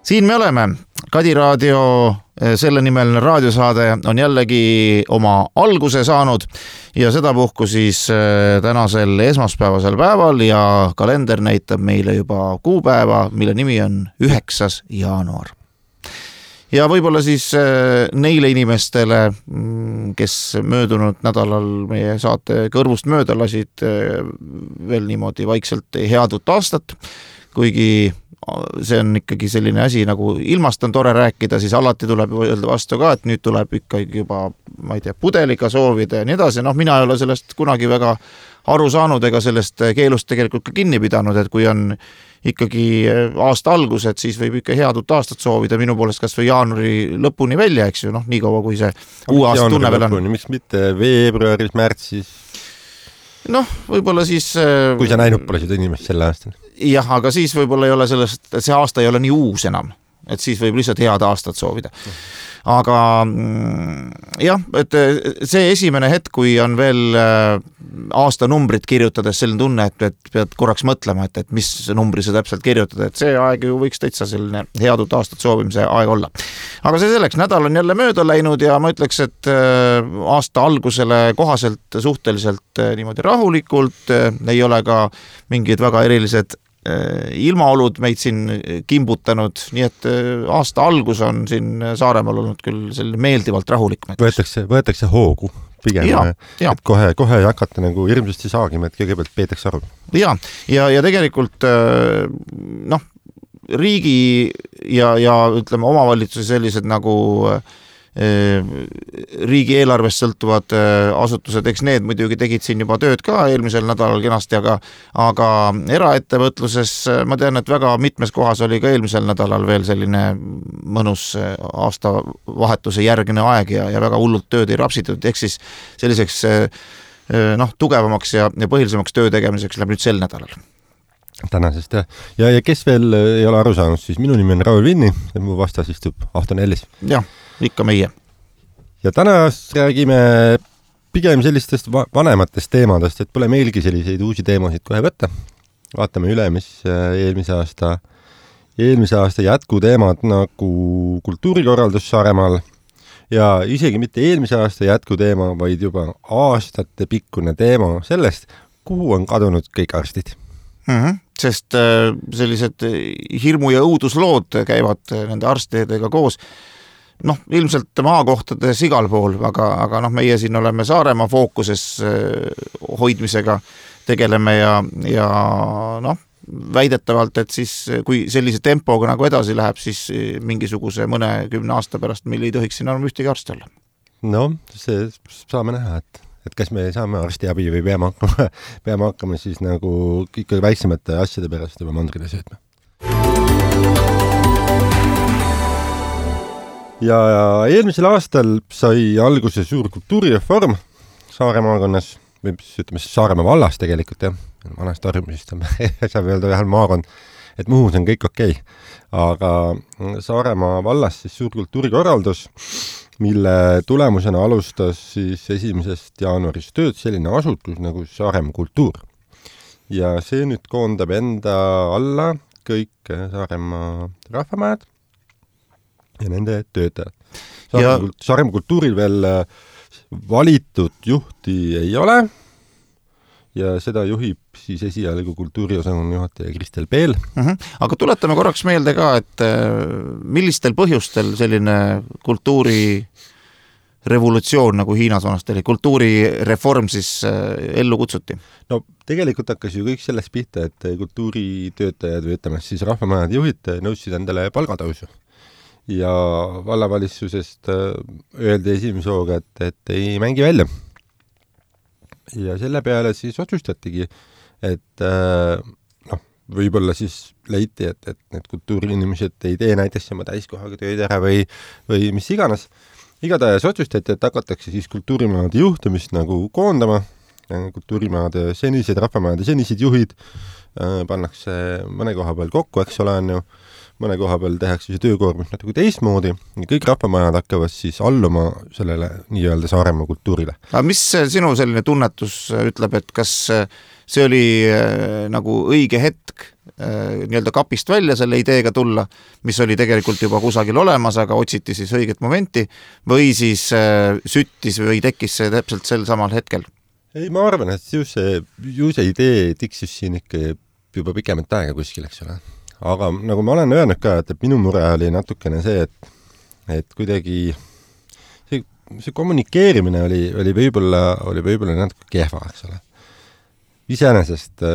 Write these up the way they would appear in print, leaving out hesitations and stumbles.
Siin me oleme. Kadi Raadio selle nimeline raadiosaade on jällegi oma alguse saanud ja sedapuhku siis tänasel esmaspäevasel päeval ja kalender näitab meile juba kuupäeva, mille nimi on 9. jaanuar. Ja võib-olla siis neile inimestele, kes möödunud nädalal meie saate kõrvust mööda lasid veel niimoodi vaikselt head uut aastat, kuigi see on ikkagi selline asi, nagu ilmast on tore rääkida, siis alati tuleb öelda vastu ka, et nüüd tuleb ikkagi juba, ma ei tea, pudeliga soovida ja nii edasi. Mina ei ole sellest kunagi väga aru saanud ega sellest keelust tegelikult ka kinni pidanud, et kui on ikkagi aasta algus, et siis võib ikka head uut aastat soovida minu poolest kas või jaanuari lõpuni välja, eks ju, nii kaua kui see uue aasta tunne veel on. Miks mitte veebruaris, märtsis? Võib-olla siis... Kui sa näinud pole seda inimest selle aastal? Jah, aga siis võib-olla ei ole sellest, et see aasta ei ole nii uus enam, et siis võib lihtsalt head aastat soovida. Aga jah, et see esimene hetk, kui on veel aastanumbrit kirjutades selline tunne, et pead korraks mõtlema, et mis numbri sa täpselt kirjutada, et see aeg ju võiks täitsa selline head uut aastat soovimise aeg olla. Aga see selleks, nädal on jälle mööda läinud ja ma ütleks, et aasta algusele kohaselt suhteliselt niimoodi rahulikult, ei ole ka mingid väga erilised ilmaolud meid siin kimbutanud, nii et aasta algus on siin Saaremaal olnud küll selline meeldivalt rahulik. Võetakse hoogu pigem, et kohe ei hakata nagu hirmsasti saagima, et kõigepealt peetakse aru. Ja tegelikult riigi ja ütleme omavalitsusi sellised nagu riigi eelarvest sõltuvad asutused, eks need muidugi tegid siin juba tööd ka eelmisel nädalal kenasti, aga eraettevõtluses ma tean, et väga mitmes kohas oli ka eelmisel nädalal veel selline mõnus aastavahetuse järgne aeg ja väga hullult tööd ei rapsitud, ehk siis selliseks tugevamaks ja põhilisemaks töö tegemiseks läheb nüüd sel nädalal. Tänasest ja kes veel ei ole aru saanud, siis minu nimi on Raul Vinni ja mu vastas istub Ahton Ellis. Jah, ikka meie. Ja täna räägime pigem sellistest vanematest teemadest, et pole meilgi selliseid uusi teemasid kohe võtta. Vaatame üle, mis eelmise aasta jätkuteemad nagu kultuurikorraldus Saaremaal ja isegi mitte eelmise aasta jätkuteema, vaid juba aastate pikkune teema sellest, kuhu on kadunud kõik arstid. Sest sellised hirmu- ja õuduslood käivad nende arstidega koos. Ilmselt maakohtades igal pool, aga meie siin oleme Saaremaa fookuses hoidmisega tegeleme ja väidetavalt, et siis kui sellise tempoga nagu edasi läheb, siis mingisuguse mõne 10 aasta pärast meil ei tohiks siin enam ühtegi arsti olla. See saame näha, et kas me saame arstiabi või peame hakkama siis nagu ikka väiksemate asjade pärast juba mandrile söötma. Ja eelmisel aastal sai alguse suur kultuurireform Saare maakonnas, või ütleme Saaremaa vallas tegelikult, vanast arjumisest saab öelda ühel maakond, et Muhus on kõik okei. Aga Saaremaa vallas siis suur kultuurikorraldus, mille tulemusena alustas siis 1. jaanuarist tööd selline asutus nagu Saaremaa kultuur. Ja see nüüd koondab enda alla kõik Saaremaa rahvamajad ja nende töötajad. Saaremaa kultuuril veel valitud juhti ei ole ja seda juhib siis esialgu kultuuriosakonna juhataja Kristel Peel. Aga tuletame korraks meelde ka, et millistel põhjustel selline kultuurirevolutsioon nagu Hiinas vanasti oli, kultuurireform siis ellu kutsuti? Tegelikult hakkas ju kõik sellest pihta, et kultuuritöötajad või ütleme siis rahvamajad juhid nõudsid endale palgatõusu. Ja vallavalitsusest öeldi esimese hooga, et ei mängi välja. Ja selle peale siis otsustatigi, et võib-olla siis leiti, et need kultuuriinimesed ei tee näiteks oma täiskohaga tööd ära või mis iganes. Igatahes otsustati, et hakatakse siis kultuurimaade juhtumist nagu koondama. Kultuurimaade senised, rahvamajade senised juhid pannakse mõne koha peal kokku, eks ole on ju. Mõne koha peal tehakse see töökoormus natuke teistmoodi ja kõik rahvamajad hakkavad siis alluma sellele nii-öelda Saaremaa kultuurile. Aga mis sinu selline tunnetus ütleb, et kas see oli nagu õige hetk nii-öelda kapist välja selle ideega tulla, mis oli tegelikult juba kusagil olemas, aga otsiti siis õiget momenti või siis süttis või tekkis see täpselt sel samal hetkel? Ei, ma arvan, et ju see idee tiksus siin ikka juba pikemat aega kuskil, eks ole. Aga nagu ma olen öelnud ka, et minu mure oli natukene see, et kuidagi see kommunikeerimine oli võib-olla natuke kehva, eks ole. Iseenesest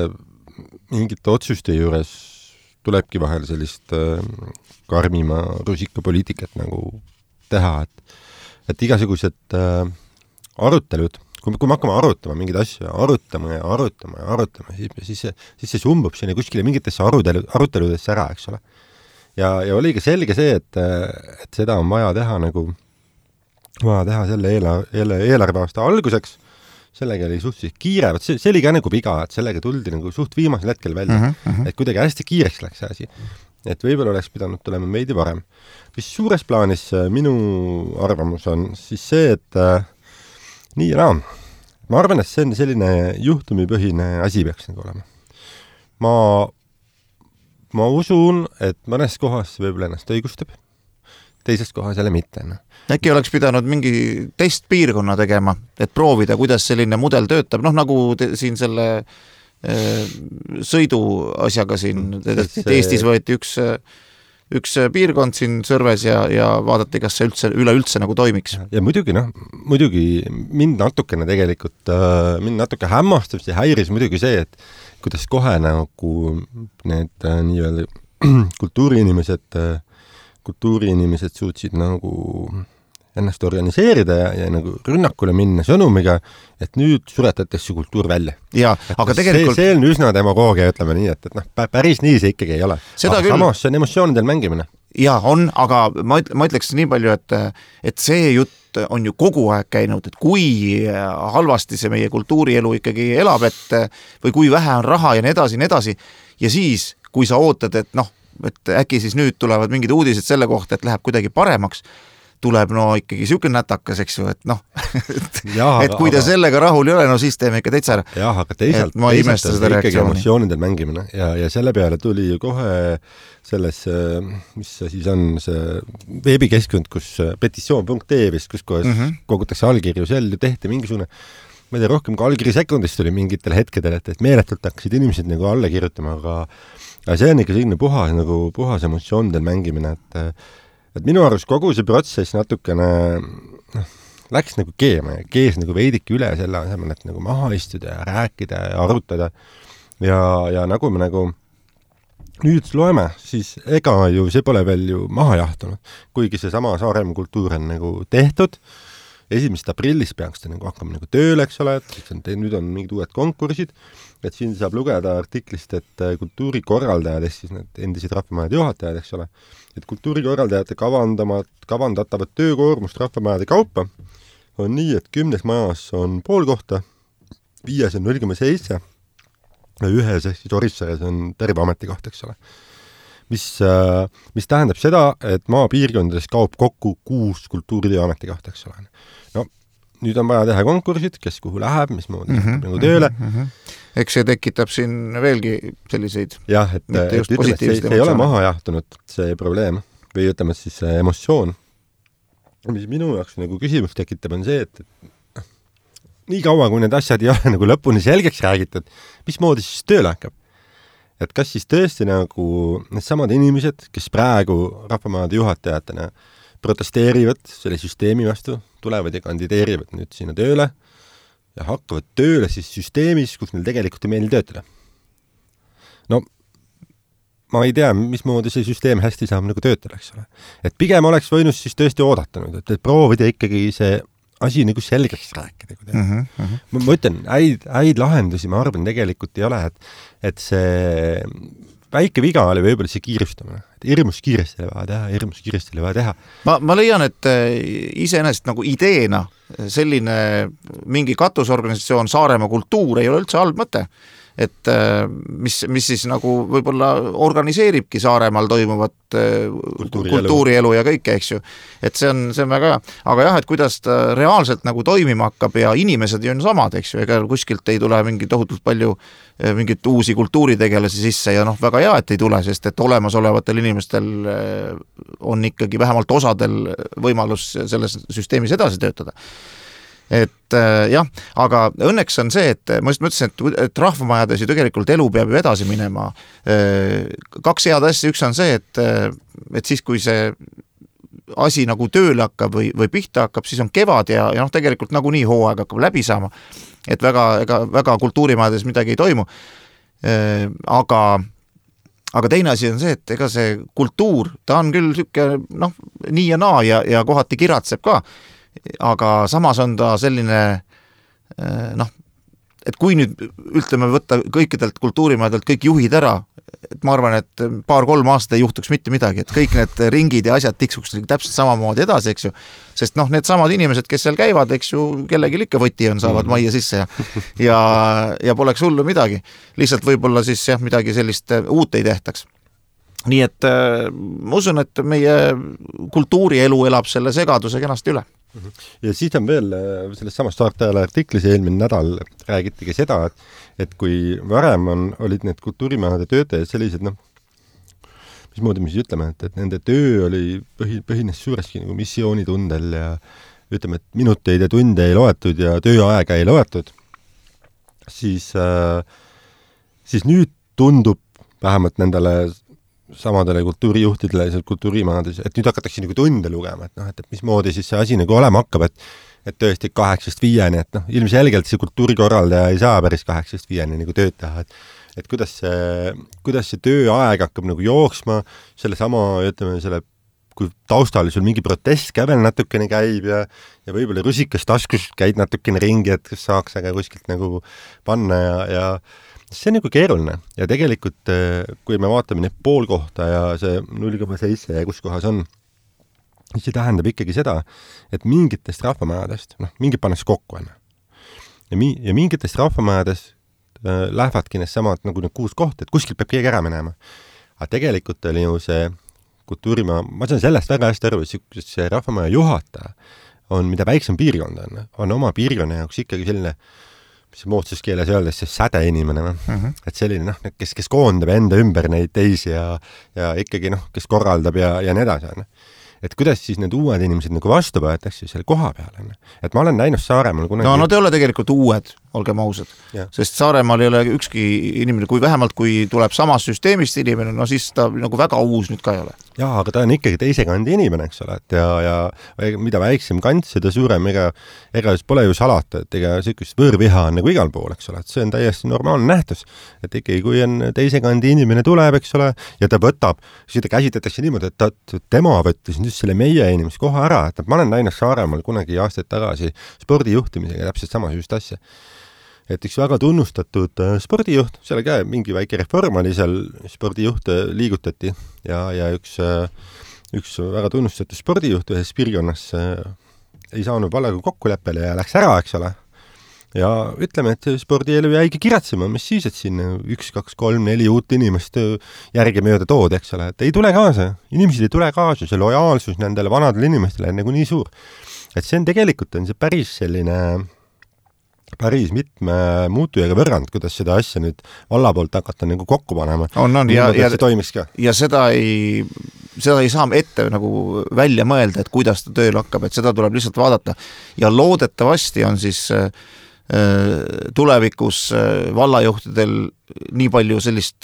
mingite otsuste juures tulebki vahel sellist karmima rusikapoliitikat nagu teha, et igasugused arutelud, kui me hakkame arutama mingeid asju, arutama, siis see sumbub sinna kuskile mingitesse aruteludesse ära, eks ole. Ja oli ka selge see, et seda on vaja teha selle eelarveaasta alguseks, sellega oli suhteliselt kiire, see oli ka nagu viga, et sellega tuldi nagu suht viimasel hetkel välja, et kuidagi hästi kiireks läks see asi. Et võib-olla oleks pidanud tulema meidi varem. Mis suures plaanis minu arvamus on siis see, et nii ja naa. Ma arvan, et see on selline juhtumipõhine asi peaks nagu olema. Ma usun, et mõnes kohas võib-olla ennast õigustab, teises kohas jälle mitte. Äkki oleks pidanud mingi testpiirkonna tegema, et proovida, kuidas selline mudel töötab, nagu siin selle sõidu asjaga siin, Eestis võeti üks piirkond siin Sõrves ja vaadati, kas see üleüldse nagu toimiks. Ja muidugi mind natuke hämmastab ja häiris muidugi see, et kuidas kohe nagu need nii-öelda kultuuriinimesed suutsid nagu ennast organiseerida ja nagu rünnakule minna sõnumiga, et nüüd suretatakse kultuur välja. Ja, aga tegelikult... See on üsna demagoogia, ütleme nii, et päris nii see ikkagi ei ole. Aga samas see on emotsioonidel mängimine. Ja, on, aga ma ütleks nii palju, et see jutt on ju kogu aeg käinud, et kui halvasti see meie kultuurielu ikkagi elab, või kui vähe on raha ja nii edasi, ja siis, kui sa ootad, et äkki siis nüüd tulevad mingid uudised selle kohta, et läheb kuidagi paremaks, tuleb ikkagi siuke nätakas, eks ju, et kui te sellega rahul ei ole, siis teeme ikka täitsa ära. Jah, aga teisalt ikkagi emotsioonidel mängimine ja selle peale tuli ju kohe selles, mis see siis on, see veebikeskkond, kus petitsioon.ee vist, kus kogutakse allkirju, seal ju tehti mingisugune, ma ei tea, rohkem kui allkiri sekundist tuli mingitel hetkedel, et meeletult hakkasid inimesed nagu alla kirjutama, aga see on ikka selline puhas emotsioonidel mängimine, et minu arust kogu see protsess natukene läks nagu kees nagu veidike üle selle asemel, et nagu maha istuda ja rääkida ja arutada ja nagu me nagu nüüd loeme, siis ega ju see pole veel ju maha jahtunud, kuigi see sama Saaremaa kultuur on nagu tehtud, 1. aprillis peaks ta nagu hakkama nagu tööle, eks ole, et nüüd on mingid uued konkursid, et siin saab lugeda artiklist, et kultuurikorraldajad, siis need endised rahvamajade juhatajad, eks ole, et kultuurikorraldajate kavandatavad töökoormust rahvamajade kaupa on nii, et 10 majas on pool kohta, 5 on 0,7 ja 1 siis Orissares on terve ametikoht, eks ole. Mis tähendab seda, et maapiirkondades kaob kokku 6 kultuuritöö ametikohta, eks ole. No, nüüd on vaja teha konkursid, kes kuhu läheb, mismoodi nagu tööle. Eks see tekitab siin veelgi selliseid jah, et ütleme, see ei ole maha jahtunud see probleem või ütleme siis see emotsioon. Mis minu jaoks nagu küsimus tekitab on see, et nii kaua, kui need asjad ei ole nagu lõpuni selgeks räägitud, mismoodi siis tööle hakkab? Et kas siis tõesti nagu need samad inimesed, kes praegu rahvamajade juhatajatena protesteerivad selle süsteemi vastu, tulevad ja kandideerivad nüüd sinna tööle ja hakkavad tööle siis süsteemis, kus neil tegelikult ei meeldi töötada. No, ma ei tea, mismoodi see süsteem hästi saab nagu töötada, eks ole. Et pigem oleks võinud siis tõesti oodatanud, et proovida ikkagi see asi nagu selgeks rääkida. Ma ütlen, häid lahendusi, ma arvan, tegelikult ei ole, et see väike viga oli võib-olla see kiirustamine. Hirmus kiiresti oli vaja teha. Ma leian, et iseenesest nagu ideena selline mingi katusorganisatsioon Saaremaa kultuur ei ole üldse halb mõte. et mis siis nagu võib-olla organiseeribki Saaremaal toimuvat kultuurielu ja kõike, eks ju. Et see on väga hea. Aga jah, et kuidas ta reaalselt nagu toimima hakkab ja inimesed on samad, eks ju, ega kuskilt ei tule mingi tohutult palju mingit uusi kultuuritegelasi sisse ja väga hea, et ei tule, sest et olemasolevatel inimestel on ikkagi vähemalt osadel võimalus selles süsteemis edasi töötada. Et jah, aga õnneks on see, et ma just mõtlesin, et rahvamajades ju tegelikult elu peab ju edasi minema. Kaks head asja, üks on see, et siis kui see asi nagu tööle hakkab või pihta hakkab, siis on kevad ja tegelikult nagu nii hooaeg hakkab läbi saama, et väga kultuurimajades midagi ei toimu. Aga teine asi on see, et ega see kultuur, ta on küll siuke, nii ja naa ja kohati kiratseb ka, aga samas on ta selline et kui nüüd ütleme võtta kõikidelt kultuurimajadelt kõik juhid ära, et ma arvan, et 2-3 aastat ei juhtuks mitte midagi, et kõik need ringid ja asjad tiksuks täpselt samamoodi edasi, eks ju, sest need samad inimesed, kes seal käivad, eks ju, kellelgi ikka võti on, saavad majja sisse ja poleks hullu midagi, lihtsalt võib-olla siis jah, midagi sellist uut ei tehtaks. Nii et ma usun, et meie kultuurielu elab selle segaduse kenasti üle. Ja siis on veel selles samas Saartajale artiklis eelmine nädal räägitigi seda, et kui varem olid need kultuurimajade töötajad sellised, mismoodi me siis ütleme, et nende töö oli põhines suureski nagu missioonitundel ja ütleme, et minuteid ja tunde ei loetud ja tööaega ei loetud, siis nüüd tundub vähemalt nendele samadele kultuurijuhtidele ja kultuurimajades, et nüüd hakatakse nagu tunde lugema, et mismoodi siis see asi nagu olema hakkab, et tõesti 8-5, et ilmselgelt see kultuurikorraldaja ei saa päris 8-5 nagu tööd teha, et kuidas see tööaeg hakkab nagu jooksma, ütleme, kui taustal sul mingi protest ka veel natukene käib ja võib-olla rusikas taskus käid natukene ringi, et kas saaks aga kuskilt nagu panna ja see on nagu keeruline ja tegelikult, kui me vaatame neid poolkohta ja see 0,7 ja kus kohas on, see tähendab ikkagi seda, et mingitest rahvamajadest, mingid pannakse kokku enne. Ja mingitest rahvamajadest lähevadki need samad nagu need 6 kohta, et kuskilt peab keegi ära minema. Aga tegelikult oli ju see kultuurimaja, ma saan sellest väga hästi aru, et see rahvamaja juhataja on, mida väiksem piirkond on oma piirkonna jaoks ikkagi selline mis moodsuskeeles öeldes see säde inimene, et selline, kes koondab enda ümber neid teisi ja ikkagi, kes korraldab ja nii edasi. Et kuidas siis need uued inimesed nagu vastu võetakse selle koha peale. Et ma olen näinud Saaremaal kunagi... No te ei ole tegelikult uued, olgem ausad. Sest Saaremaal ei ole ükski inimene, kui tuleb samast süsteemist inimene, siis ta nagu väga uus nüüd ka ei ole. Jaa, aga ta on ikkagi teise kandi inimene, eks ole, ja mida väiksem kant, seda suurem, ega pole ju salata, et ega sellist võõrviha on nagu igal pool, eks ole, et see on täiesti normaalne nähtus, et ikkagi kui on teise kandi inimene tuleb, eks ole, ja ta võtab, siis ta käsitletakse niimoodi, et tema võttis just selle meie inimese koha ära, et ma olen näinud Saaremaal kunagi aastaid tagasi spordijuhtimisega täpselt sama just asja. Et üks väga tunnustatud spordijuht, seal ka mingi väike reform oli seal, spordijuhte liigutati ja üks väga tunnustatud spordijuht ühes piirkonnas ei saanud vallega kokkuleppele ja läks ära, eks ole. Ja ütleme, et spordielu jäigi kiratsema, mis siis, et siin 1, 2, 3, 4 uut inimest järgi mööda tood, eks ole, et ei tule kaasa. Inimesed ei tule kaasa, see lojaalsus nendele vanadele inimestele on nagu nii suur. Et see on tegelikult see päris selline... päris mitme muutujaga võrrand, kuidas seda asja nüüd valla poolt hakata nagu kokku panema. Ja seda ei saa ette nagu välja mõelda, et kuidas ta tööl hakkab, et seda tuleb lihtsalt vaadata. Ja loodetavasti on siis tulevikus vallajuhtidel nii palju sellist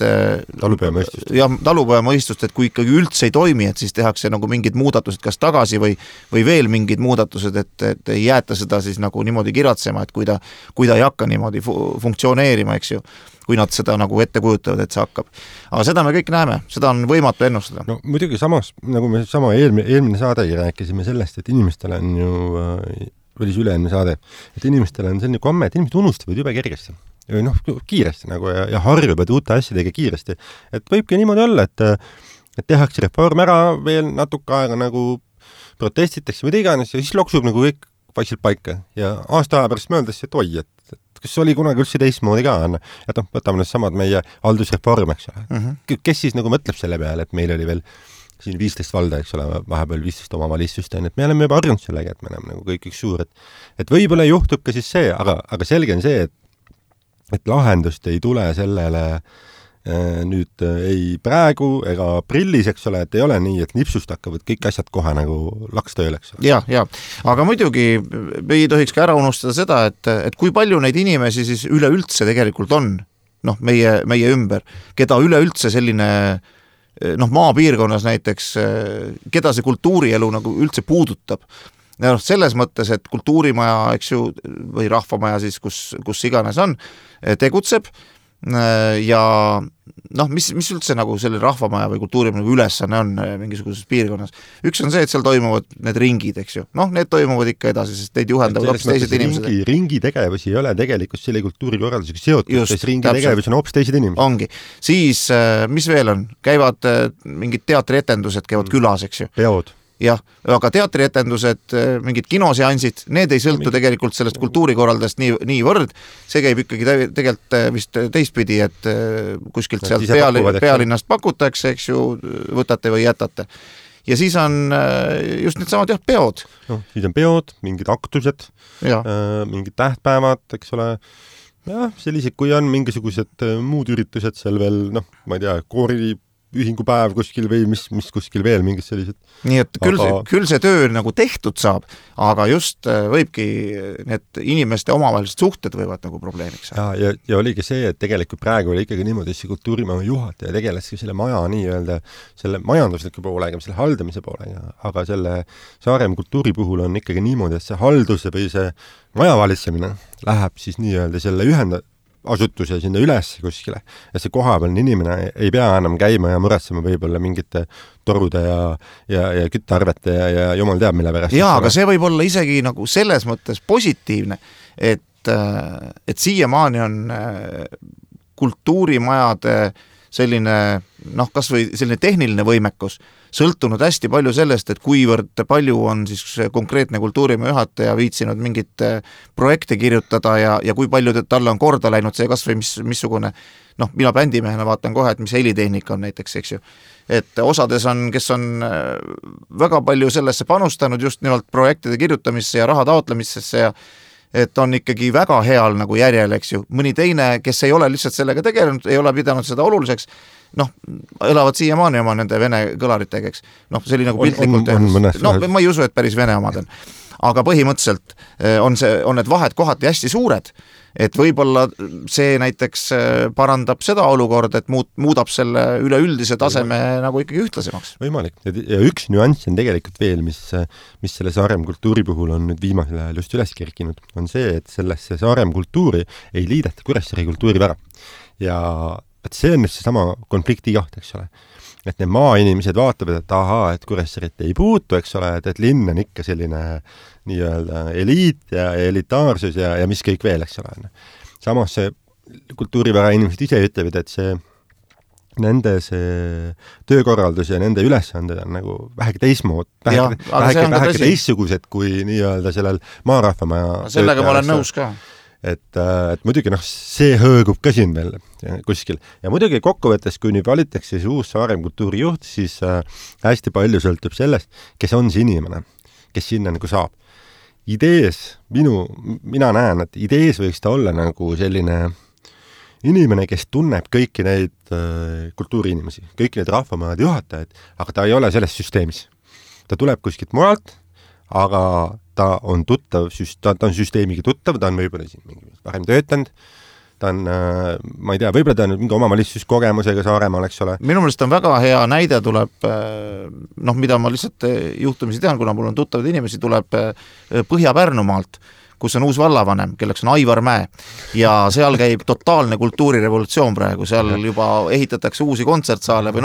talupojamõistust, et kui ikkagi üldse ei toimi, et siis tehakse nagu mingid muudatused kas tagasi või veel mingid muudatused, et ei jäeta seda siis nagu niimoodi kiratsema, et kui ta ei hakka niimoodi funktsioneerima, eks ju, kui nad seda nagu ette kujutavad, et see hakkab. Aga seda me kõik näeme, seda on võimatu ennustada. No muidugi samas, nagu me eelmine saadegi rääkisime sellest, et inimestel on ju või üle-eelmine saade, et inimestel on selline komme, et inimesed unustavad jube kergesti. Kiiresti nagu ja harjuvad uute asjadega kiiresti. Et võibki niimoodi olla, et tehakse reform ära, veel natuke aega nagu protestitakse või iganes ja siis loksub nagu kõik vaikselt paika. Ja aasta aja pärast mõeldes, et oi, et kas oli kunagi üldse teistmoodi ka, et võtame need samad meie haldusreform, eks ole. Kes siis nagu mõtleb selle peale, et meil oli veel siin 15 valda, eks ole, vahepeal 15 omavalitsust, et me oleme juba harjunud sellega, et me oleme nagu kõik üks suur, et võib-olla juhtub ka siis see, aga selge on see, et lahendust ei tule sellele nüüd ei praegu ega aprillis, eks ole, et ei ole nii, et nipsust hakkavad kõik asjad kohe nagu lakstööl, eks ole. Ja, aga muidugi ei tohiks ka ära unustada seda, et kui palju neid inimesi siis üleüldse tegelikult on, meie ümber, keda üleüldse selline maapiirkonnas näiteks, keda see kultuurielu nagu üldse puudutab. Selles mõttes, et kultuurimaja, eks ju, või rahvamaja siis, kus iganes on, tegutseb ja mis üldse nagu selle rahvamaja või kultuurimaja ülesanne on mingisuguses piirkonnas. Üks on see, et seal toimuvad need ringid, eks ju. Need toimuvad ikka edasi, sest neid juhendavad hoopis teised inimesed. Ringi tegevus ei ole tegelikult selle kultuurikorraldusega seotud, sest ringi tegevus on hoopis teised inimesed. Ongi. Siis, mis veel on? Käivad mingid teatrietendused, käivad külas, eks ju. Peod. Jah, aga teatrietendused, mingid kinoseansid, need ei sõltu tegelikult sellest kultuurikorraldast nii võrd. See käib ikkagi tegelikult vist teistpidi, et kuskilt sealt pealinnast pakutakse, eks ju, võtate või jätate. Ja siis on just need samad peod. Siis on peod, mingid aktused, mingid tähtpäevad, eks ole. Jah, sellised, kui on mingisugused muud üritused seal veel, ma ei tea, ühingupäev kuskil või mis kuskil veel mingid sellised. Nii et küll see töö nagu tehtud saab, aga just võibki need inimeste omavahelised suhted võivad nagu probleemiks saada. Ja oligi see, et tegelikult praegu oli ikkagi niimoodi, et see kultuurimaja juhataja tegeleski selle maja nii-öelda selle majandusliku poolega, selle haldamise poolega, aga selle Saaremaa kultuuri puhul on ikkagi niimoodi, et see halduse või see maja valitsemine läheb siis nii-öelda selle asutuse sinna üles kuskile, ja see kohapealne inimene ei pea enam käima ja muretsema võib-olla mingite torude ja küttearvete ja jumal teab mille pärast. Jaa, aga see võib olla isegi nagu selles mõttes positiivne, et siiamaani on kultuurimajade selline, kas või selline tehniline võimekus sõltunud hästi palju sellest, et kuivõrd palju on siis konkreetne kultuurimaja juhataja viitsinud mingit projekte kirjutada ja kui palju talle on korda läinud see kas või missugune, mina bändimehena vaatan kohe, et mis helitehnika on näiteks, eks ju. Et osades on, kes on väga palju sellesse panustanud just nimelt projektide kirjutamisse ja raha taotlemissesse ja et on ikkagi väga heal nagu järjel, eks ju. Mõni teine, kes ei ole lihtsalt sellega tegelenud, ei ole pidanud seda oluliseks, elavad siiamaani oma nende vene kõlaritega, eks. See oli nagu piltlikult. Ma ei usu, et päris vene omad on. Aga põhimõtteliselt on need vahed kohati hästi suured, et võib-olla see näiteks parandab seda olukorda, et muudab selle üleüldise taseme nagu ikkagi ühtlasemaks. Võimalik. Ja üks nüanss on tegelikult veel, mis selle Saaremaa kultuuri puhul on nüüd viimasel ajal just üles kerkinud, on see, et sellesse Saaremaa kultuuri ei liideta Kuressaare kultuuri ära. Ja see on nüüd see sama konflikti koht, eks ole. Et need maainimesed vaatavad, et et Kuressaaret ei puutu, eks ole, et linn on ikka selline nii-öelda eliit ja elitaarsus ja mis kõik veel, eks ole. Samas see kultuurivära inimesed ise ütlevad, et nende see töökorraldus ja nende ülesanded on nagu vähegi teismood, vähegi teistsugused kui nii-öelda sellel maarahvamaja. Sellega ma olen nõus ka. Et muidugi see hõõgub ka siin veel kuskil. Ja muidugi kokkuvõttes, kui nüüd valitakse see uus Saaremaa kultuurijuht, siis hästi palju sõltub sellest, kes on see inimene, kes sinna nagu saab. Idees, mina näen, et idees võiks ta olla nagu selline inimene, kes tunneb kõiki neid kultuuriinimesi, kõiki neid rahvamajade juhatajaid, aga ta ei ole selles süsteemis. Ta tuleb kuskilt mujalt, aga ta on tuttav, ta on süsteemiga tuttav, ta on võib-olla siin mingi varem töötanud, ta on, ma ei tea, võib-olla ta on mingi omavalitsuskogemusega Saaremaal, eks ole. Minu meelest on väga hea näide tuleb, mida ma lihtsalt juhtumisi tean, kuna mul on tuttavad inimesi, tuleb Põhja-Pärnumaalt, kus on uus vallavanem, kelleks on Aivar Mäe ja seal käib totaalne kultuurirevolutsioon praegu, seal juba ehitatakse uusi kontsertsaale või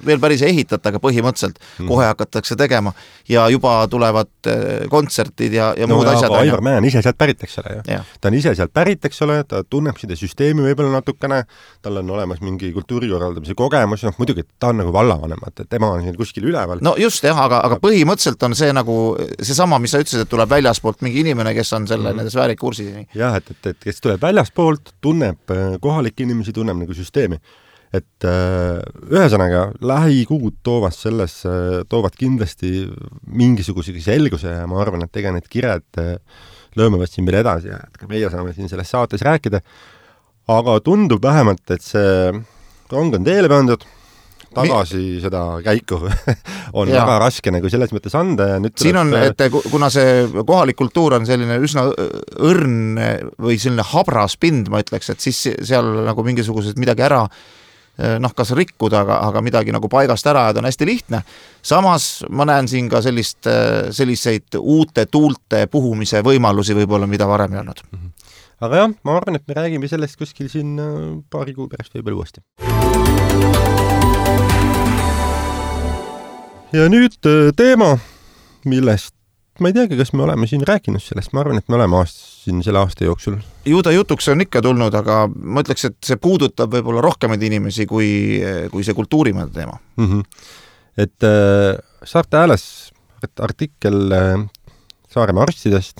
veel päris ei ehitata, aga põhimõtteliselt kohe hakatakse tegema ja juba tulevad kontsertid ja muud asjad. Aivar Mäe on ise sealt pärit, eks ole. Ta on ise sealt pärit, eks ole, ta tunneb seda süsteemi võib-olla natukene, tal on olemas mingi kultuurikorraldamise kogemus, muidugi ta on nagu vallavanem, et tema on siin kuskil üleval. No just jah, aga põhimõtteliselt on see nagu seesama, mis sa ütlesid, et tuleb väljaspoolt mingi inimene esimene, kes on selle nende sfäärikursi. Jah, et kes tuleb väljaspoolt, tunneb kohalikke inimesi, tunneb nagu süsteemi. Et ühesõnaga, lähikuud toovad kindlasti mingisuguse selguse ja ma arvan, et ega need kired lõõmavad siin veel edasi ja et ka meie saame siin selles saates rääkida. Aga tundub vähemalt, et see rong on teele pandud, tagasi seda käiku on väga raske nagu selles mõttes anda ja nüüd siin on, et kuna see kohalik kultuur on selline üsna õrn või selline habras pind, ma ütleks, et siis seal nagu mingisugused midagi ära kas rikkuda, aga midagi nagu paigast ära ja ta on hästi lihtne. Samas ma näen siin ka selliseid uute tuulte puhumise võimalusi võib-olla, mida varem ei olnud. Aga jah, ma arvan, et me räägime sellest kuskil siin paari kuu pärast võib-olla uuesti. Ja nüüd teema, millest ma ei teagi, kas me oleme siin rääkinud sellest, ma arvan, et me oleme siin selle aasta jooksul. Ju ta jutuks on ikka tulnud, aga ma ütleks, et see puudutab võib-olla rohkemaid inimesi kui see kultuurimäe teema. Et Saarte Hääles artikkel Saaremaa arstidest,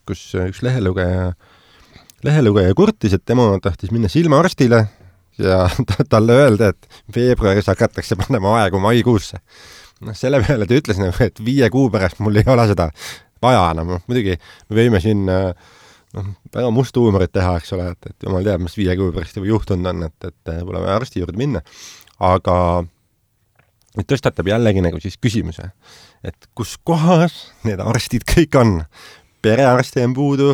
kus üks lehelugeja kurtis, et tema tahtis minna silmaarstile ja talle öelda, et veebruaris hakatakse panema aegu maikuusse. Selle peale ta ütles, et 5 kuu pärast mul ei ole seda vaja enam. Muidugi me võime siin väga musta huumorit teha, eks ole, et jumal teab, mis 5 kuu pärast juba juhtunud on, et pole vaja arsti juurde minna. Aga tõstatab jällegi nagu siis küsimuse, et kus kohas need arstid kõik on. Perearsti on puudu,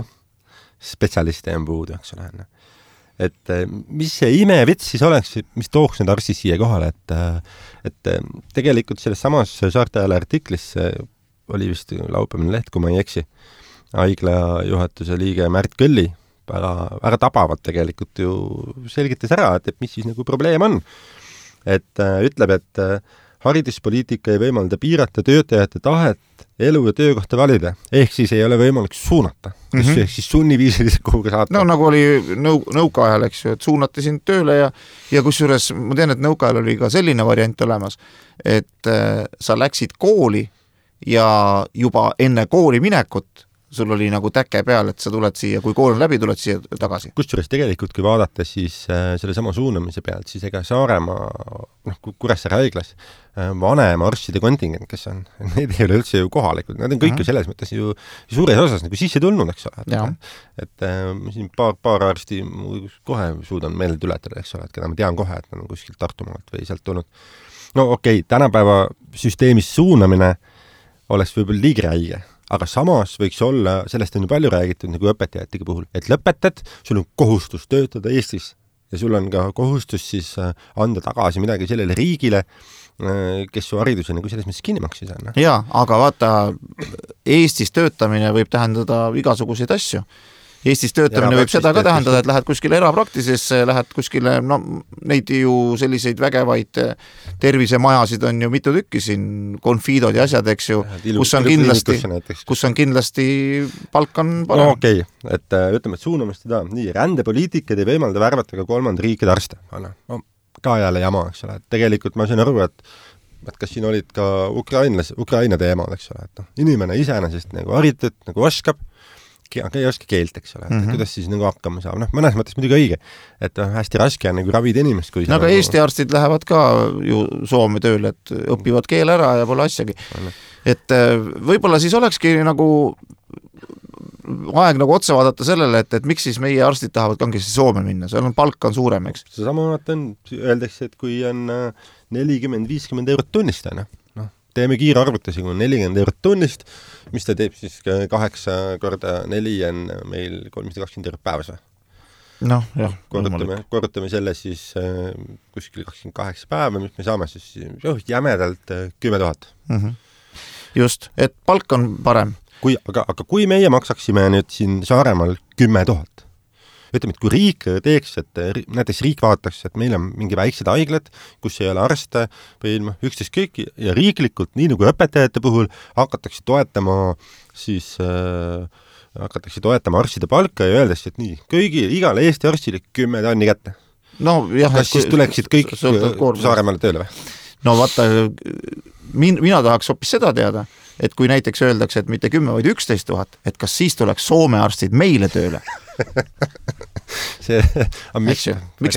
spetsialiste on puudu, eks ole. Et mis see imevits siis oleks, mis tooks need arstid siia kohale, et tegelikult selles samas Saarte Hääle artiklis oli vist laupäevane leht, kui ma ei eksi, haigla juhatuse liige Märt Kõlli väga tabavalt tegelikult ju selgitas ära, et mis siis nagu probleem on. Et ütleb, et hariduspoliitika ei võimalda piirata töötajate tahet elu ja töökohta valida, ehk siis ei ole võimalik suunata, ehk siis sunniviisiliselt kuhuga saata. No nagu oli nõukaajal, eks ju, et suunati sind tööle ja kusjuures ma tean, et nõukaajal oli ka selline variant olemas, et sa läksid kooli ja juba enne kooli minekut sul oli nagu täke peal, et sa tuled siia, kui kool on läbi, tuled siia tagasi. Kusjuures tegelikult, kui vaadata siis selle sama suunamise pealt, siis ega Saaremaa, Kuressaare haiglas vanema arstide kontingent, kes on, need ei ole üldse ju kohalikud, nad on kõik ju selles mõttes ju suures osas nagu sisse tulnud, eks ole. Et siin paar arsti kohe suudan meelde tuletada, eks ole, et keda ma tean kohe, et nad on kuskilt Tartumaalt või sealt tulnud. No okei, tänapäeva süsteemis suunamine oleks võib-olla liigi räige. Aga samas võiks olla, sellest on ju palju räägitud nagu õpetajatega puhul, et lõpetad, sul on kohustus töötada Eestis ja sul on ka kohustus siis anda tagasi midagi sellele riigile, kes su hariduse nagu selles mõttes kinni maksis. Jaa, aga vaata, Eestis töötamine võib tähendada igasuguseid asju. Eestis töötamine võib seda ka tähendada, et lähed kuskile erapraktisesse, lähed kuskile, neid ju selliseid vägevaid tervisemajasid on ju mitu tükki siin, konfiidod ja asjad, eks ju, kus on kindlasti palk on parem. No okei, et ütleme, et suunamist seda, nii, rändepoliitikad ei võimalda värvata ka kolmanda riikide arste. No, ka jälle jama, eks ole. Tegelikult ma sain aru, et kas siin olid ka Ukraina teemad, eks ole, et inimene iseenesest nagu haritud, nagu oskab, aga ei oska keelt, eks ole, et kuidas siis nagu hakkama saab. Mõnes mõttes muidugi õige, et hästi raske on nagu ravida inimest. Kui aga Eesti arstid lähevad ka ju Soome tööle, et õpivad keel ära ja pole asjagi. Et võib-olla siis olekski nagu aeg nagu otsa vaadata sellele, et miks siis meie arstid tahavad kangesti Soome minna, seal on palk on suurem, eks. See sama öeldakse, et kui on 40-50 eurot tunnist, teeme kiire arvutusi, kui on 40 eurot tunnist, mis ta teeb siis 8 korda 4 on meil 320 eurot päevas. Noh, jah. Korrutame selle siis kuskil 28 päeva, mis me saame siis jämedalt 10 000. Just, et palk on parem. Aga kui meie maksaksime nüüd siin Saaremaal 10 000, ütleme, et kui riik teeks, et näiteks riik vaataks, et meil on mingi väiksed haiglad, kus ei ole arste või üksteist kõik ja riiklikult, nii nagu õpetajate puhul, hakatakse toetama arstide palka ja öeldes, et nii, igale Eesti arstile 10 tonni kätte. No, jah, kas siis tuleksid kõik Saaremaale tööle või? No vaata, mina tahaks hoopis seda teada, et kui näiteks öeldakse, et mitte 10, vaid 11 000, et kas siis tuleks Soome arstid meile tööle? Miks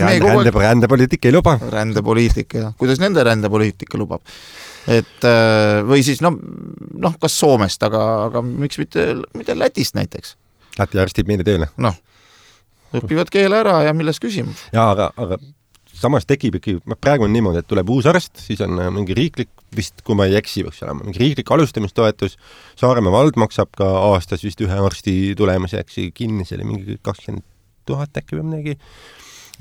rändepoliitika ei luba? Rändepoliitika, kuidas nende rändepoliitika lubab? Et või siis kas Soomest, aga miks mitte Lätist näiteks? Läti arstid meile tööle? Õpivad keele ära ja milles küsimus? Jaa, aga samas tekib ikkagi, praegu on niimoodi, et tuleb uus arst, siis on mingi riiklik, vist kui ma ei eksi, võiks olema, mingi riiklik alustamistoetus, Saaremaa vald maksab ka aastas vist ühe arsti tulemiseks kinni, see oli mingi 20 000 äkki või midagi.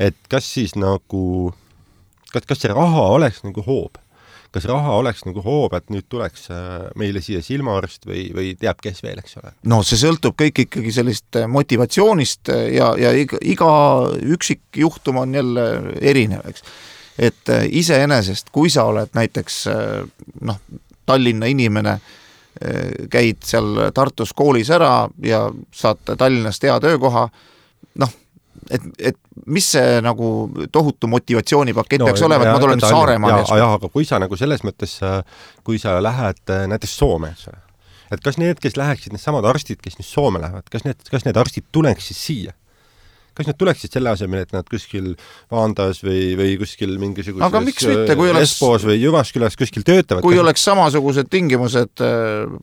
Et kas siis nagu, kas see raha oleks nagu hoob? Kas raha oleks nagu hoob, et nüüd tuleks meile siia silmaarst või teab kes veel, eks ole? No see sõltub kõik ikkagi sellist motivatsioonist ja iga üksik juhtum on jälle erinev, eks. Et iseenesest, kui sa oled näiteks Tallinna inimene, käid seal Tartus koolis ära ja saad Tallinnast hea töökoha, et mis see nagu tohutu motivatsioonipakett peaks olema, et ma tulen Saaremaale. Aga kui sa nagu selles mõttes, kui sa lähed näiteks Soome, et kas need, kes läheksid need samad arstid, kes nüüd Soome lähevad, kas need arstid tuleks siis siia? Kas need tuleksid selle asemel, et nad kuskil Vaandas või kuskil mingisuguses Espoos või Jyvaskylas kuskil töötavad? Kui oleks samasugused tingimused,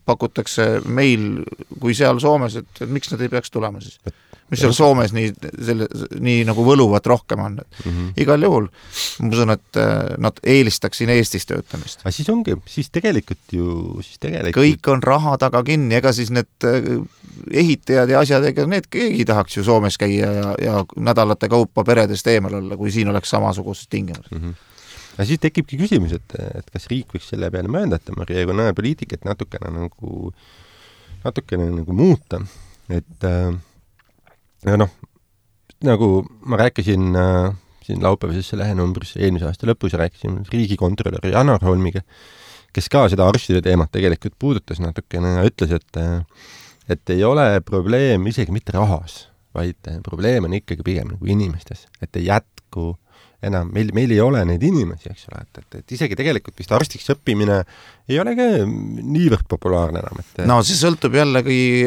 pakutakse meil kui seal Soomes, et miks nad ei peaks tulema siis? Mis seal Soomes nii nagu võluvat rohkem on. Igal juhul, ma usun, et nad eelistaks siin Eestis töötamist. Aga siis ongi, siis tegelikult kõik on raha taga kinni, ega siis need ehitajad ja asjad, ega need keegi tahaks ju Soomes käia ja nädalate kaupa peredest eemal olla, kui siin oleks samasugused tingimused. Aga siis tekibki küsimus, et kas riik võiks selle peale möönda, et regionaalpoliitikat natukene nagu muuta, et nagu ma rääkisin siin laupäevases lehenumbris eelmise aasta lõpus rääkisin riigikontrolöri Janar Holmiga, kes ka seda arstide teemat tegelikult puudutas natukene ja ütles, et ei ole probleem isegi mitte rahas, vaid probleem on ikkagi pigem nagu inimestes, et ei jätku enam, meil ei ole neid inimesi, eks ole, et isegi tegelikult vist arstiks õppimine ei ole ka niivõrd populaarne enam. No see sõltub jällegi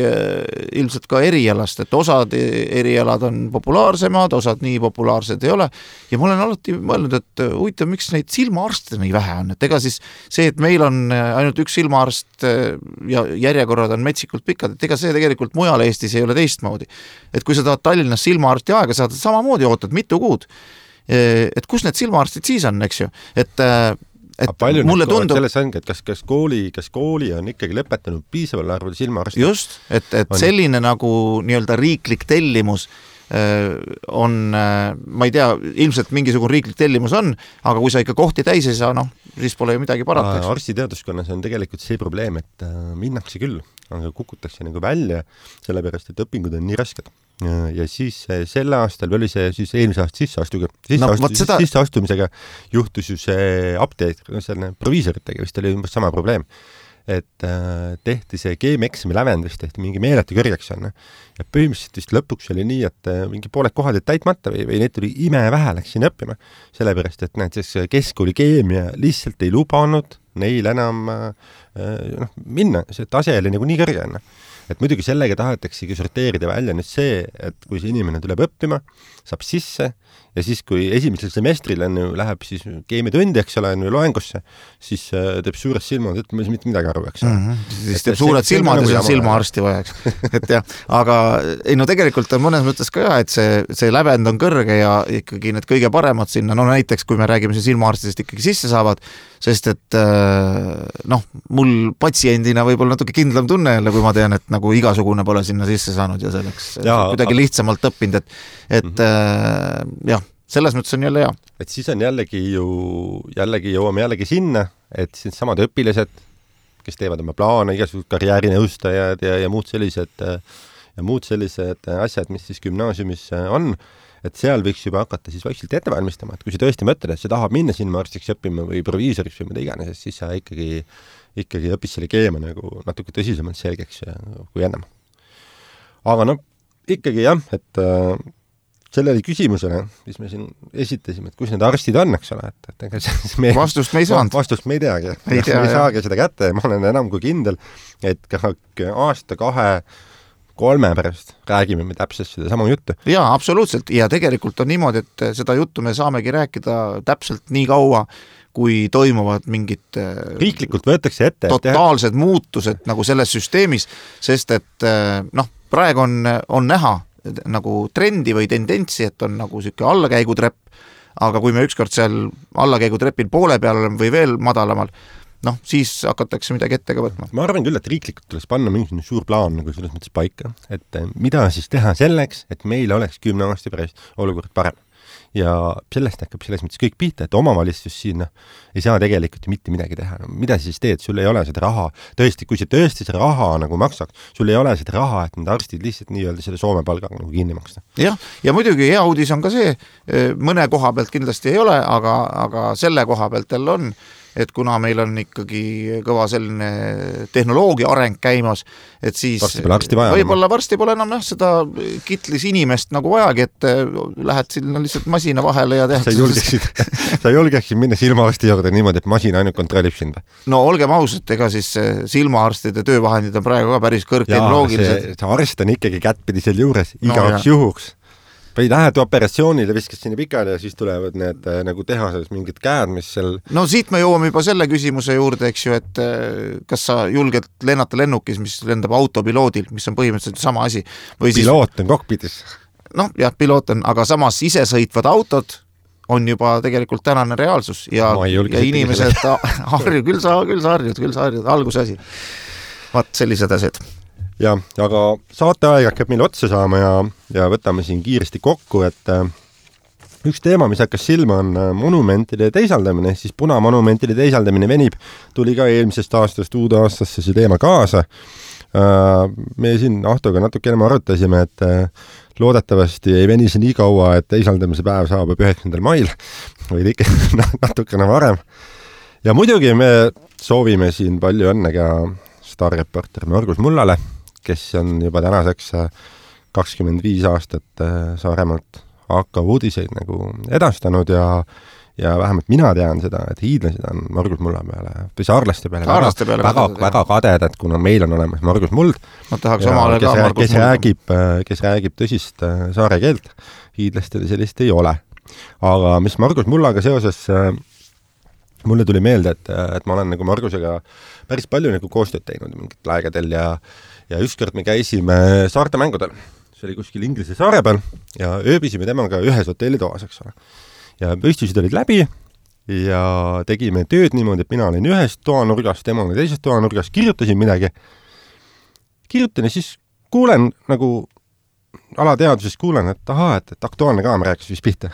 ilmselt ka erialast, et osad erialad on populaarsemad, osad nii populaarsed ei ole ja ma olen alati mõelnud, et huvitav, miks neid silmaarste nii vähe on, et ega siis see, et meil on ainult üks silmaarst ja järjekorrad on metsikult pikad, et ega see tegelikult mujal Eestis ei ole teistmoodi. Et kui sa tahad Tallinnas silmaarsti aega saada, samamoodi ootad mitu kuud. Et kus need silmaarstid siis on, eks ju? Et mulle tundub... Selles ongi, et kas kooli on ikkagi lõpetanud piisaval arvul silmaarsti? Just, et selline nagu nii-öelda riiklik tellimus on, ma ei tea, ilmselt mingisugune riiklik tellimus on, aga kui sa ikka kohti täis ei saa, siis pole ju midagi parata. Arstiteaduskonnas on tegelikult see probleem, et minnakse küll, aga kukutakse nagu välja, sellepärast, et õpingud on nii rasked. Ja siis selle aastal oli see siis eelmise aasta sisseastumisega juhtus ju see apteek, selline proviisoritega vist oli umbes sama probleem, et tehti see keemieksami lävendus, tehti mingi meeletu kõrgeks on ja põhimõtteliselt vist lõpuks oli nii, et mingi pooled kohad olid täitmata või neid tuli imevähe läks siin õppima, sellepärast, et näiteks keskkooli keemia lihtsalt ei lubanud neil enam minna, see tase oli nagu nii kõrge on. Et muidugi sellega tahetaksegi sorteerida välja nüüd see, et kui see inimene tuleb õppima, saab sisse ja siis, kui esimesel semestril läheb siis keemiatundi, eks ole, loengusse, siis teeb suured silmad, et ma ei mitte midagi aru, eks ole. Siis teeb suured silmad ja see on silmaarsti vajaks. Et jah, aga tegelikult on mõnes mõttes ka et see lävend on kõrge ja ikkagi need kõige paremad sinna, näiteks kui me räägime siin silmaarstidest ikkagi sisse saavad, sest et mul patsiendina võib-olla natuke kindlam tunne jälle, kui ma tean, et nagu igasugune pole sinna sisse saanud ja selleks kuidagi lihtsamalt õppinud, et jah, selles mõttes on jälle hea. Et siis on jällegi jõuame jällegi sinna, et siin samad õpilased, kes teevad oma plaane, igasugused karjäärinõustajad ja muud sellised asjad, mis siis gümnaasiumis on, et seal võiks juba hakata siis vaikselt ette valmistama, et kui sa tõesti mõtled, et sa tahab minna silmaarstiks õppima või proviisoriks või mida iganes, siis sa ikkagi õpis selle keema nagu natuke tõsisemalt selgeks kui ennem. Aga ikkagi jah, et selle oli küsimusele, mis me siin esitasime, et kus need arstid on, eks ole, et ega vastust me ei saanud. Vastust me ei teagi. Me ei saagi seda kätte ja ma olen enam kui kindel, et aasta, 2-3 pärast räägime me täpselt seda sama juttu. Jaa, absoluutselt. Ja tegelikult on niimoodi, et seda juttu me saamegi rääkida täpselt nii kaua, kui toimuvad mingid riiklikult võetakse ette totaalsed muutused nagu selles süsteemis, sest et praegu on näha nagu trendi või tendentsi, et on nagu siuke allakäigutrepp, aga kui me ükskord seal allakäigutrepil poole peal oleme või veel madalamal, siis hakatakse midagi ette ka võtma. Ma arvan küll, et riiklikult tuleks panna mingi suur plaan nagu selles mõttes paika, et mida siis teha selleks, et meil oleks 10 aasta pärast olukord parem. Ja sellest hakkab selles mõttes kõik pihta, et omavalitsus siin ei saa tegelikult ju mitte midagi teha. Mida siis teed? Sul ei ole seda raha. Tõesti, kui see tõesti see raha nagu maksaks, sul ei ole seda raha, et need arstid lihtsalt nii-öelda selle Soome palgaga nagu kinni maksta. Jah, ja muidugi hea uudis on ka see, mõne koha pealt kindlasti ei ole, aga selle koha pealt jälle on, et kuna meil on ikkagi kõva selline tehnoloogia areng käimas, et siis võib-olla varsti pole enam seda kitlis inimest nagu vajagi, et lähed sinna lihtsalt masina vahele ja sa julgeksid minna silmaarsti juurde niimoodi, et masin ainult kontrollib sind? No olgem ausad, ega siis silmaarstide töövahendid on praegu ka päris kõrgtehnoloogilised. See arst on ikkagi kättpidi seal juures igaks juhuks. Või lähed operatsioonile, viskad sinna pikali ja siis tulevad need nagu tehases mingid käed, mis seal... No siit me jõuame juba selle küsimuse juurde, eks ju, et kas sa julged lennata lennukis, mis lendab autopiloodil, mis on põhimõtteliselt sama asi. Või piloot on kokpitis. Jah, piloot on, aga samas isesõitvad autod on juba tegelikult tänane reaalsus ja inimesed küll sa harjud, alguse asi. Vaat sellised asjad. Ja, aga saateaeg hakkab meil otsa saama ja võtame siin kiiresti kokku, et üks teema, mis hakkas silma, on monumentide teisaldamine, siis punamonumentide teisaldamine venib, tuli ka eelmisest aastast uude aastasse see teema kaasa. Me siin Ahtoga natuke enam arutasime, et loodetavasti ei veni see nii kaua, et teisaldamise päev saabub 9. mail või ikka natukene varem. Ja muidugi me soovime siin palju õnne ka staarreporter Margus Mullale, kes on juba tänaseks 25 aastat Saaremaalt hakkav uudiseid nagu edastanud ja vähemalt mina tean seda, et hiidlased on Margus Mulla peale, või saarlaste peale väga kadedad, kuna meil on olemas Margus Muld, kes räägib tõsist saare keelt, hiidlastel sellist ei ole. Aga mis Margus Mullaga seoses mulle tuli meelde, et ma olen nagu Margusega päris palju nagu koostööd teinud mingit aegadel ja ükskord me käisime saarte mängudel. See oli kuskil Inglise saare peal ja ööbisime temaga ühes hotellitoas, eks ole. Ja püstised olid läbi ja tegime tööd niimoodi, et mina olin ühes toanurgas, tema oli teises toanurgas, kirjutasin midagi. Kirjutan ja siis kuulen nagu alateaduses kuulen, et et Aktuaalne Kaamera rääkis vist pihta.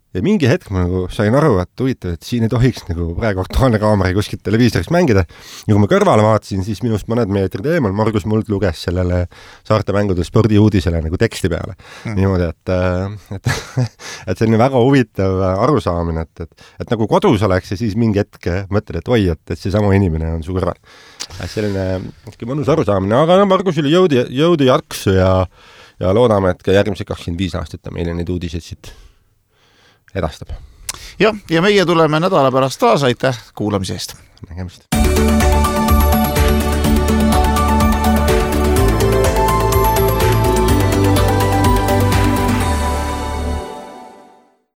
Ja mingi hetk ma nagu sain aru, et huvitav, et siin ei tohiks nagu praegu Aktuaalne Kaamera kuskilt televiisorist mängida. Ja kui ma kõrvale vaatasin, siis minust mõned meetrid eemal Margus Muld luges sellele saarte mängudel spordiuudisele nagu teksti peale. Niimoodi, et selline väga huvitav arusaamine, et nagu kodus oleks ja siis mingi hetk mõtled, et oi, et see sama inimene on su kõrval. Selline mõnus arusaamine, aga Margus oli jõudu jaksu ja loodame, et ka järgmised 25 aastat meile neid uudiseid siit edastab. Ja meie tuleme nädala pärast taas, aitäh kuulamise eest. Nägemist.